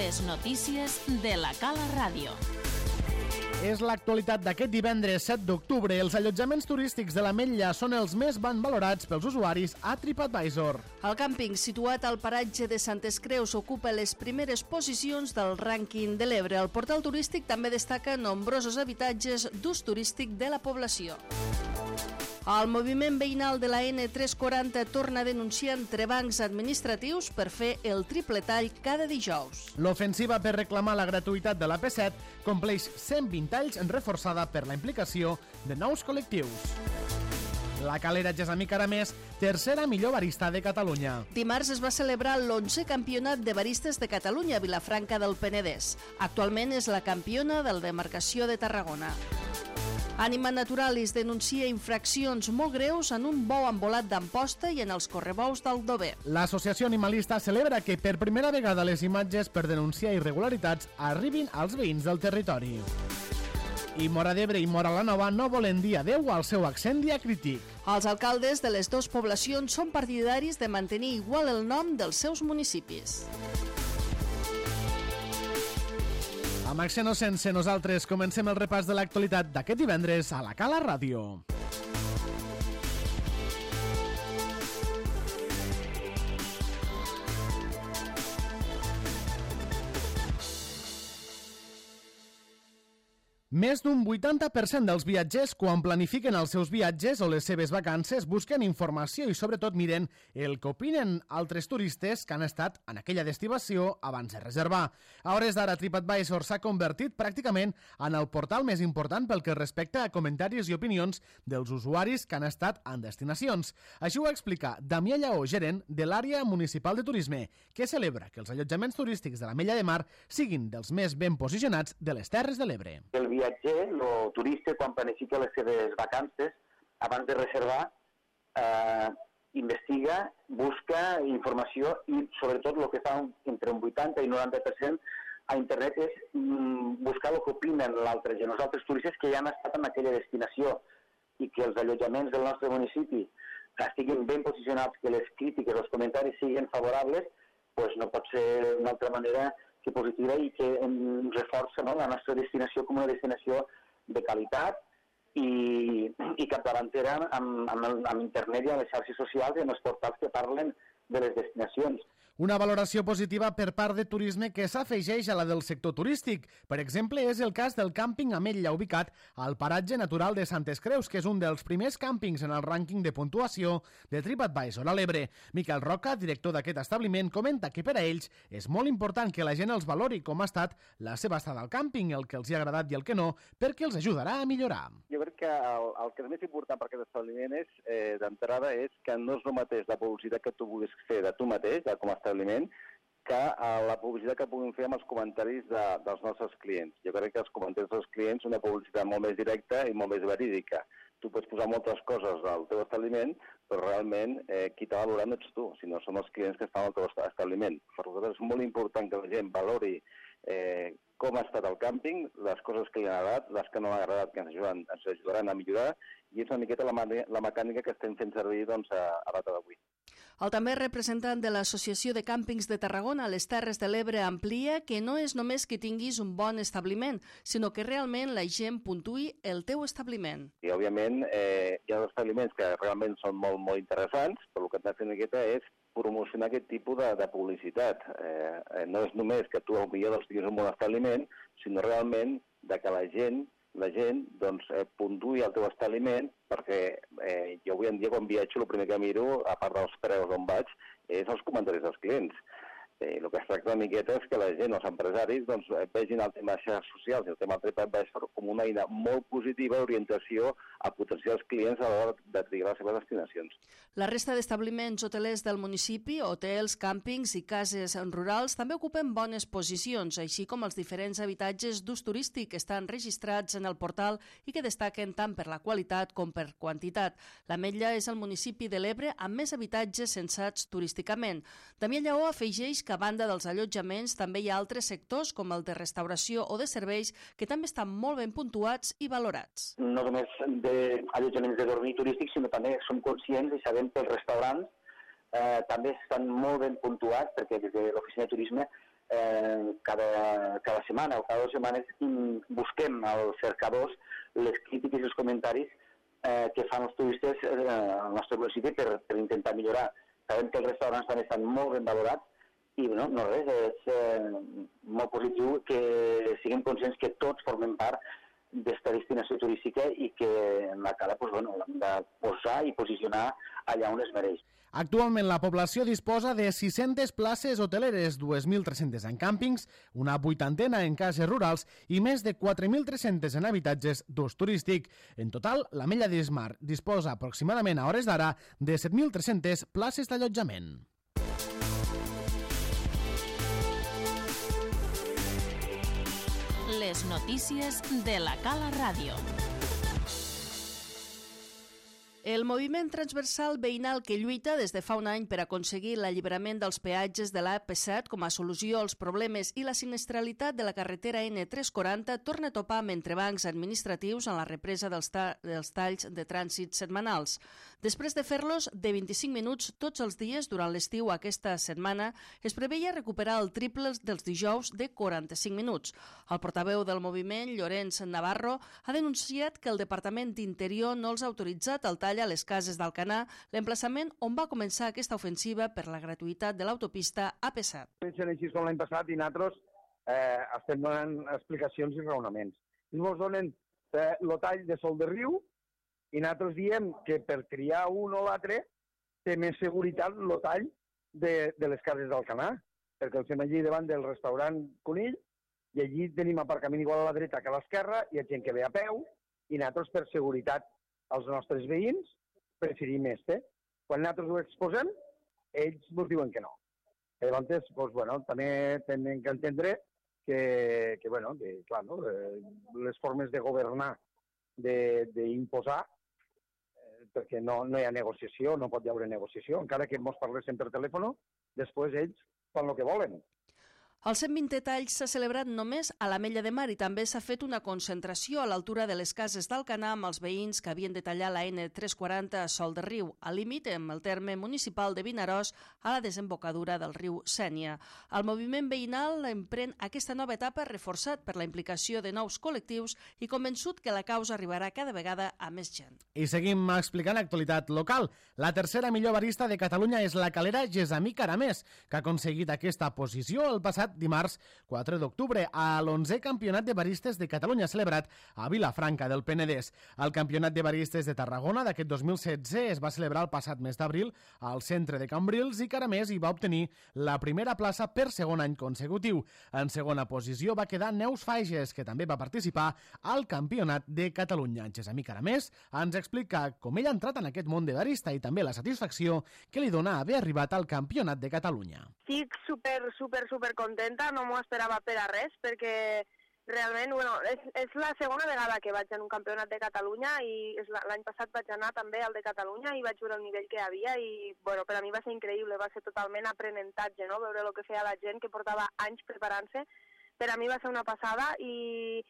Les notícies de la Cala Ràdio. És l'actualitat d'aquest divendres 7 d'octubre. Els allotjaments turístics de l'Ametlla són els més ben valorats pels usuaris a TripAdvisor. El càmping situat al paratge de Santes Creus ocupa les primeres posicions del rànquing de l'Ebre. El portal turístic també destaca nombrosos habitatges d'ús turístic de la població. El moviment veïnal de la N340 torna a denunciar entrebancs administratius per fer el triple tall cada dijous. L'ofensiva per reclamar la gratuïtat de la P7 compleix 120 anys reforçada per la implicació de nous col·lectius. La Calera Gessamí Caramés, tercera millor barista de Catalunya. Dimarts es va celebrar l'11è Campionat de Baristes de Catalunya a Vilafranca del Penedès. Actualment és la campiona de la demarcació de Tarragona. Ànima Naturalis denuncia infraccions molt greus en un bou embolat d'Amposta i en els correbous d'Aldover. L'Associació Animalista celebra que per primera vegada les imatges per denunciar irregularitats arribin als veïns del territori. I Móra d'Ebre i Móra la Nova no volen dir adeu al seu accent diacrític. Els alcaldes de les dues poblacions són partidaris de mantenir igual el nom dels seus municipis. Amb accent o sense, nosaltres comencem el repàs de l'actualitat d'aquest divendres a la Cala Ràdio. Més d'un 80% dels viatgers, quan planifiquen els seus viatges o les seves vacances, busquen informació i sobretot miren el que opinen altres turistes que han estat en aquella destinació abans de reservar. A hores d'ara, TripAdvisor s'ha convertit pràcticament en el portal més important pel que respecta a comentaris i opinions dels usuaris que han estat en destinacions. Així ho explica Damià Lleó, gerent de l'àrea municipal de turisme, que celebra que els allotjaments turístics de l'Ametlla de Mar siguin dels més ben posicionats de les Terres de l'Ebre. El viatger, el turista, quan planifica les seves vacances, abans de reservar, investiga, busca informació i, sobretot, el que fa entre un 80 i 90% a internet és buscar el que opinen l'altre gent, els altres turistes que ja han estat en aquella destinació i que els allotjaments del nostre municipi estiguin ben posicionats, que les crítiques, els comentaris siguin favorables, doncs no pot ser d'una altra manera que positiva i que reforça la nostra destinació com una destinació de qualitat i capdavantera amb internet i a les xarxes socials i en els portals que parlen de les destinacions. Una valoració positiva per part de turisme que s'afegeix a la del sector turístic. Per exemple, és el cas del càmping Ametlla, ubicat al paratge natural de Santes Creus, que és un dels primers càmpings en el rànquing de puntuació de TripAdvisor a l'Ebre. Miquel Roca, director d'aquest establiment, comenta que per a ells és molt important que la gent els valori com ha estat la seva estada al càmping, el que els ha agradat i el que no, perquè els ajudarà a millorar. Jo crec que el que és més important per aquest establiment és, d'entrada, és que no és el mateix la publicitat que tu vulguis fer de tu mateix, com a establiment, que la publicitat que puguin fer amb els comentaris dels nostres clients. Jo crec que els comentaris dels clients són una publicitat molt més directa i molt més verídica. Tu pots posar moltes coses al teu establiment, però realment qui t'ha valorat no ets tu, sinó són els clients que estan al teu establiment. Per nosaltres és molt important que la gent valori com ha estat el càmping, les coses que li han agradat, les que no han agradat, que ens ajudaran a millorar, i és una miqueta la mecànica que estem fent servir a data d'avui. El també representant de l'Associació de Càmpings de Tarragona a les Terres de l'Ebre amplia que no és només que tinguis un bon establiment, sinó que realment la gent puntuï el teu establiment. I, òbviament, hi ha establiments que realment són molt, molt interessants, però el que hem de fer una miqueta és promocionar aquest tipus de publicitat. No és només que tu potser tinguis un bon establiment, sinó realment que la gent puntuï el teu establiment, perquè jo avui en dia quan viatjo el primer que miro, a part dels preus on vaig, és els comentaris dels clients. El que es tracta una miqueta és que la gent, els empresaris, vegin el tema de xarxes socials i el tema del TripAdvisor com una eina molt positiva d'orientació a potenciar els clients a l'hora de triar les seves destinacions. La resta d'establiments hotelers del municipi, hotels, càmpings i cases rurals també ocupen bones posicions, així com els diferents habitatges d'ús turístic que estan registrats en el portal i que destaquen tant per la qualitat com per quantitat. L'Ametlla és el municipi de l'Ebre amb més habitatges censats turísticament. Damià Lleó afegeix que a banda dels allotjaments també hi ha altres sectors com el de restauració o de serveis que també estan molt ben puntuats i valorats. No només d'allotjaments de dormir turístics, sinó també som conscients i sabem que els restaurants també estan molt ben puntuats perquè des de l'oficina de turisme cada setmana o cada 2 setmanes busquem als cercadors les crítiques i els comentaris que fan els turistes al nostre municipi per intentar millorar. Sabem que els restaurants també estan molt ben valorats i no res, és molt positiu que siguem conscients que tots formem part d'esta destinació turística i que la Cala l'hem de posar i posicionar allà on es mereix. Actualment la població disposa de 600 places hoteleres, 2.300 en càmpings, una 80 en cases rurals i més de 4.300 en habitatges d'ús turístic. En total, l'Ametlla de Mar disposa aproximadament a hores d'ara de 7.300 places d'allotjament. Les notícies de la Cala Ràdio. El moviment transversal veïnal que lluita des de fa un any per aconseguir l'alliberament dels peatges de l'AP7 com a solució als problemes i la sinistralitat de la carretera N340 torna a topar amb entrebancs administratius en la represa dels talls de trànsit setmanals. Després de fer-los de 25 minuts tots els dies durant l'estiu aquesta setmana, es preveia recuperar el triple dels dijous de 45 minuts. El portaveu del moviment, Llorenç Navarro, ha denunciat que el Departament d'Interior no els ha autoritzat el tall a les cases d'Alcanar, l'emplaçament on va començar aquesta ofensiva per la gratuïtat de l'autopista AP7. Comencen així com l'any passat i nosaltres estem donant explicacions i raonaments. Ens donen el tall de Sol de Riu i nosaltres diem que per triar un o l'altre té més seguretat el tall de les cases d'Alcanar, perquè el fem allí davant del restaurant Conill i allí tenim aparcament igual a la dreta que a l'esquerra, hi ha gent que ve a peu i nosaltres per seguretat als nostres veïns preferim este. Quan nosaltres ho exposem, ells ens diuen que no. Llavors, també tenen que entendre que clar, no? Les formes de governar, d'imposar, perquè no hi ha negociació, no pot hi haver negociació. Encara que ens parlessin per telèfon, després ells fan el que volen. El 120è tall s'ha celebrat només a l'Ametlla de Mar i també s'ha fet una concentració a l'altura de les cases d'Alcanar amb els veïns que havien de tallar la N340 a Sol de Riu, al límit amb el terme municipal de Vinaròs a la desembocadura del riu Sénia. El moviment veïnal emprèn aquesta nova etapa reforçat per la implicació de nous col·lectius i convençut que la causa arribarà cada vegada a més gent. I seguim explicant actualitat local. La tercera millor barista de Catalunya és la calera Gesamí Caramés, que ha aconseguit aquesta posició el passat dimarts 4 d'octubre a l'11è Campionat de Baristes de Catalunya celebrat a Vilafranca del Penedès. El Campionat de Baristes de Tarragona d'aquest 2016 es va celebrar el passat mes d'abril al centre de Cambrils i Caramés hi va obtenir la primera plaça per segon any consecutiu. En segona posició va quedar Neus Fages, que també va participar al Campionat de Catalunya. Gesamí Caramés ens explica com ell ha entrat en aquest món de barista i també la satisfacció que li dona haver arribat al Campionat de Catalunya. Estic super contenta, no m'ho esperava per a res, perquè realment, és la segona vegada que vaig en un campionat de Catalunya i l'any passat vaig anar també al de Catalunya i vaig veure el nivell que hi havia i, per a mi va ser increïble, va ser totalment aprenentatge, no? Veure el que feia la gent que portava anys preparant-se, per a mi va ser una passada i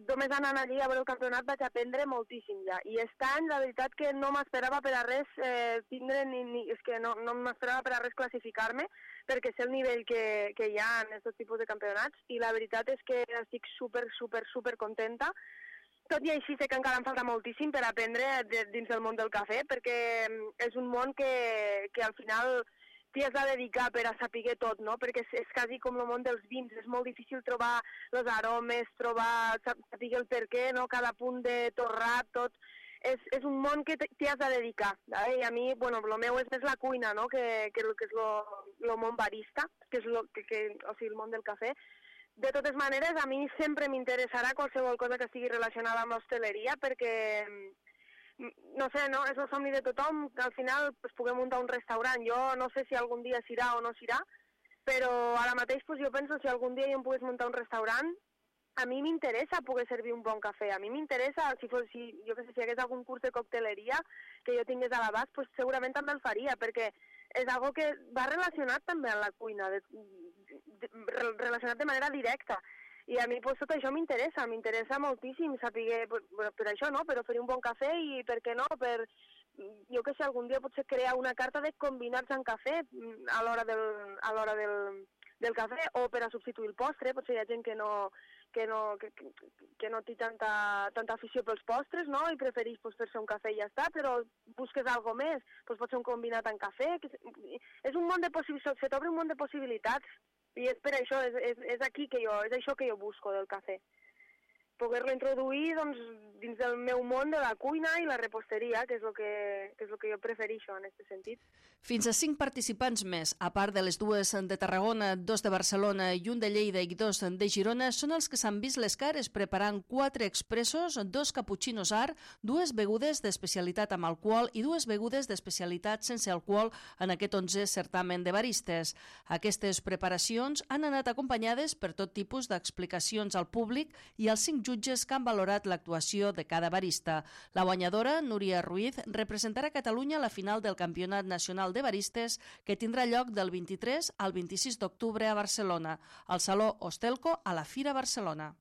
només anant allí a veure el campionat vaig aprendre moltíssim ja. I aquest any, la veritat que no m'esperava per a res és que no m'esperava per a res classificar-me, perquè sé el nivell que hi ha en aquests tipus de campionats i la veritat és que estic super contenta. Tot i així sé que encara em falta moltíssim per aprendre dins del món del cafè, perquè és un món que al final t'hi has de dedicar per a saber tot, no? Perquè és quasi com el món dels vins, és molt difícil trobar els aromes, saber el per què, no? Cada punt de torrat, tot. És un món que t'hi has de dedicar. I a mi, el meu és més la cuina, no? Que és el món barista, que és el món del cafè. De totes maneres, a mi sempre m'interessarà qualsevol cosa que estigui relacionada amb l'hostaleria, perquè no sé, no? És el somni de tothom que al final puguem muntar un restaurant. Jo no sé si algun dia s'irà o no s'irà, però ara mateix jo penso si algun dia jo em pogués muntar un restaurant, a mi m'interessa poder servir un bon cafè. A mi m'interessa, si hi hagués algun curs de cocteleria que jo tingués a l'abast, segurament també el faria, perquè és algo que va relacionat també amb la cuina, relacionat de manera directa. I a mi tot això m'interessa moltíssim saber, per això, no? Per oferir un bon cafè i, per què no, jo que sé, algun dia potser crear una carta de combinats en cafè a l'hora del cafè, o per a substituir el postre. Potser hi ha gent que no té tanta afició pels postres, no? I prefereix fer-se un cafè i ja està, però busques algo més, pot ser un combinat amb cafè. És un món de possibilitats, se t'obre un món de possibilitats, i és per això, és això que jo busco del cafè. Poder-lo introduir dins del meu món de la cuina i la reposteria, que és el que jo prefereixo en aquest sentit. Fins a 5 participants més, a part de les 2 de Tarragona, 2 de Barcelona i 1 de Lleida i 2 de Girona, són els que s'han vist les cares preparant 4 expressos, 2 cappuccinos art, 2 begudes d'especialitat amb alcohol i 2 begudes d'especialitat sense alcohol en aquest 11è certamen de baristes. Aquestes preparacions han anat acompanyades per tot tipus d'explicacions al públic i als 5 jutges que han valorat l'actuació de cada barista. La guanyadora, Núria Ruiz, representarà Catalunya a la final del Campionat Nacional de Baristes, que tindrà lloc del 23 al 26 d'octubre a Barcelona, al Saló Hostelco a la Fira Barcelona.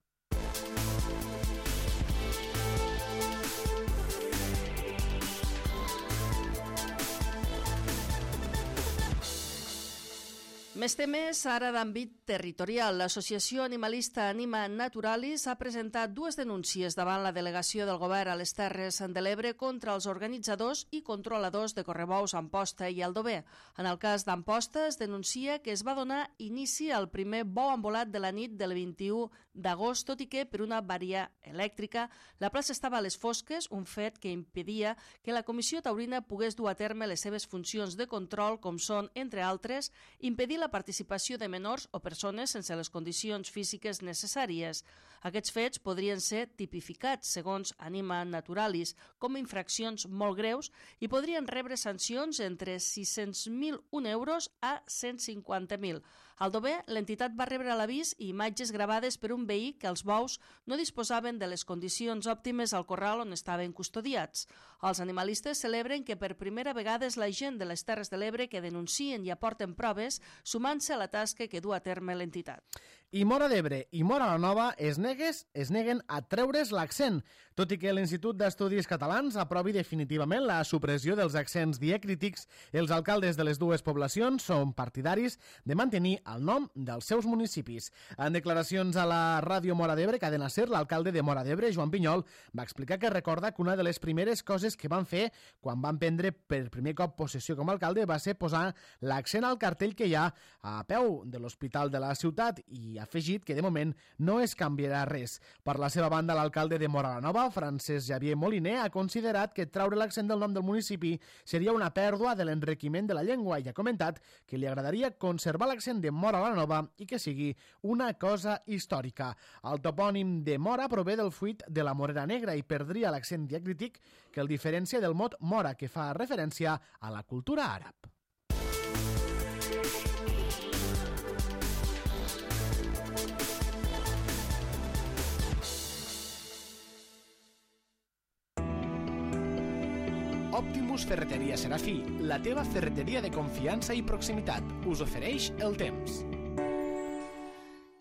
Més temes, ara d'àmbit territorial. L'Associació Animalista Anima Naturalis ha presentat 2 denúncies davant la delegació del govern a les Terres de l'Ebre contra els organitzadors i controladors de correbous a Amposta i Aldover. En el cas d'Amposta es denuncia que es va donar inici al primer bou envolat de la nit del 21 d'agost, tot i que per una avaria elèctrica la plaça estava a les fosques, un fet que impedia que la Comissió Taurina pogués dur a terme les seves funcions de control, com són, entre altres, impedir la participació de menors o persones sense les condicions físiques necessàries. Aquests fets podrien ser tipificats, segons Anima Naturalis, com infraccions molt greus i podrien rebre sancions entre 600.001 euros a 150.000. Al Dover, l'entitat va rebre l'avís i imatges gravades per un veí que els bous no disposaven de les condicions òptimes al corral on estaven custodiats. Els animalistes celebren que per primera vegada és la gent de les Terres de l'Ebre que denuncien i aporten proves, sumant-se a la tasca que du a terme l'entitat. I Móra d'Ebre i Móra la Nova es neguen a treure's l'accent, tot i que l'Institut d'Estudis Catalans aprovi definitivament la supressió dels accents diacrítics. Els alcaldes de les dues poblacions són partidaris de mantenir el nom dels seus municipis. En declaracions a la ràdio Móra d'Ebre, Cadena Ser, l'alcalde de Móra d'Ebre, Joan Pinyol, va explicar que recorda que una de les primeres coses que van fer quan van prendre per primer cop possessió com a alcalde va ser posar l'accent al cartell que hi ha a peu de l'hospital de la ciutat i ha afegit que de moment no es canviarà res. Per la seva banda, l'alcalde de Móra la Nova, Francesc Xavier Moliner, ha considerat que traure l'accent del nom del municipi seria una pèrdua de l'enriquiment de la llengua i ha comentat que li agradaria conservar l'accent de Móra la Nova i que sigui una cosa històrica. El topònim de Móra prové del fruit de la morera negra i perdria l'accent diacrític que el diferencia del mot Mora, que fa referència a la cultura àrab. Optimus Ferreteria Serafí, la teva ferreteria de confiança i proximitat, us ofereix el temps.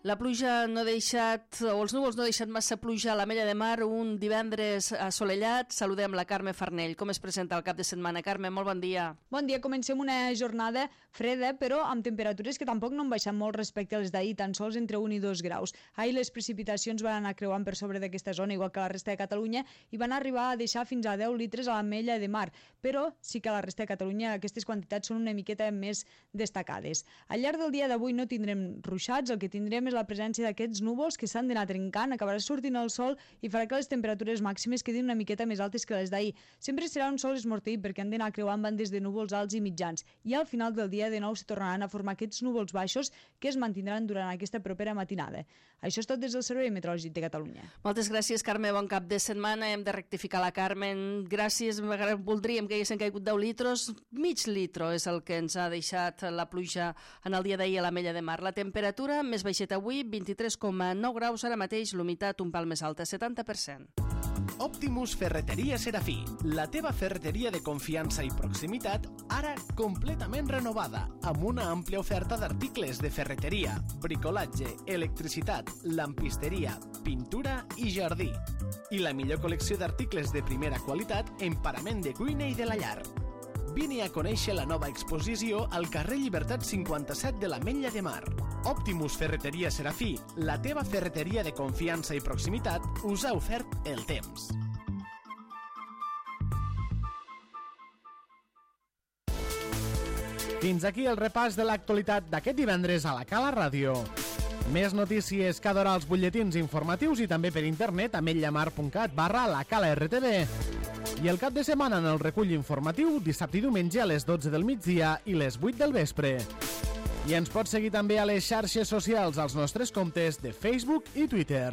La pluja no ha deixat, o els núvols no han deixat massa pluja a l'Ametlla de Mar, un divendres assolellat. Saludem la Carme Farnell. Com es presenta el cap de setmana? Carme, molt bon dia. Bon dia. Comencem una jornada freda, però amb temperatures que tampoc no han baixat molt respecte als d'ahir, tan sols entre 1 i 2 graus. Ahir les precipitacions van anar creuant per sobre d'aquesta zona, igual que la resta de Catalunya, i van arribar a deixar fins a 10 litres a l'Ametlla de Mar, però sí que a la resta de Catalunya aquestes quantitats són una miqueta més destacades. Al llarg del dia d'avui no tindrem ruixats, el que tindrem és la presència d'aquests núvols que s'han d'anar trencant, acabarà sortint el sol i farà que les temperatures màximes quedin una miqueta més altes que les d'ahir. Sempre serà un sol esmorteït perquè han d'anar creuant bandes de núvols alts i mitjans i al final del dia de nou se tornaran a formar aquests núvols baixos que es mantindran durant aquesta propera matinada. Això és tot des del Servei Meteorològic de Catalunya. Moltes gràcies, Carme. Bon cap de setmana. Hem de rectificar la Carmen. Gràcies. Voldríem que haguessin caigut 10 litres. Mig litro és el que ens ha deixat la pluja en el dia d'ahir a l'Ametlla de Mar. La temperatura més baixeta avui, 23,9 graus, ara mateix l'humitat un pal més alta, 70%. Optimus Ferreteria Serafí, la teva ferreteria de confiança i proximitat, ara completament renovada, amb una àmplia oferta d'articles de ferreteria, bricolatge, electricitat, lampisteria, pintura i jardí. I la millor col·lecció d'articles de primera qualitat en parament de cuina i de la llar. Vine a conèixer la nova exposició al carrer Llibertat 57 de l'Ametlla de Mar. Optimus Ferreteria Serafí, la teva ferreteria de confiança i proximitat, us ha ofert el temps. Fins aquí el repàs de l'actualitat d'aquest divendres a la Cala Ràdio. Més notícies cada hora als butlletins informatius i també per internet a ametlllamar.cat/lacalartv. I el cap de setmana en el recull informatiu, dissabte i diumenge a les 12 del migdia i les 8 del vespre. I ens pots seguir també a les xarxes socials als nostres comptes de Facebook i Twitter.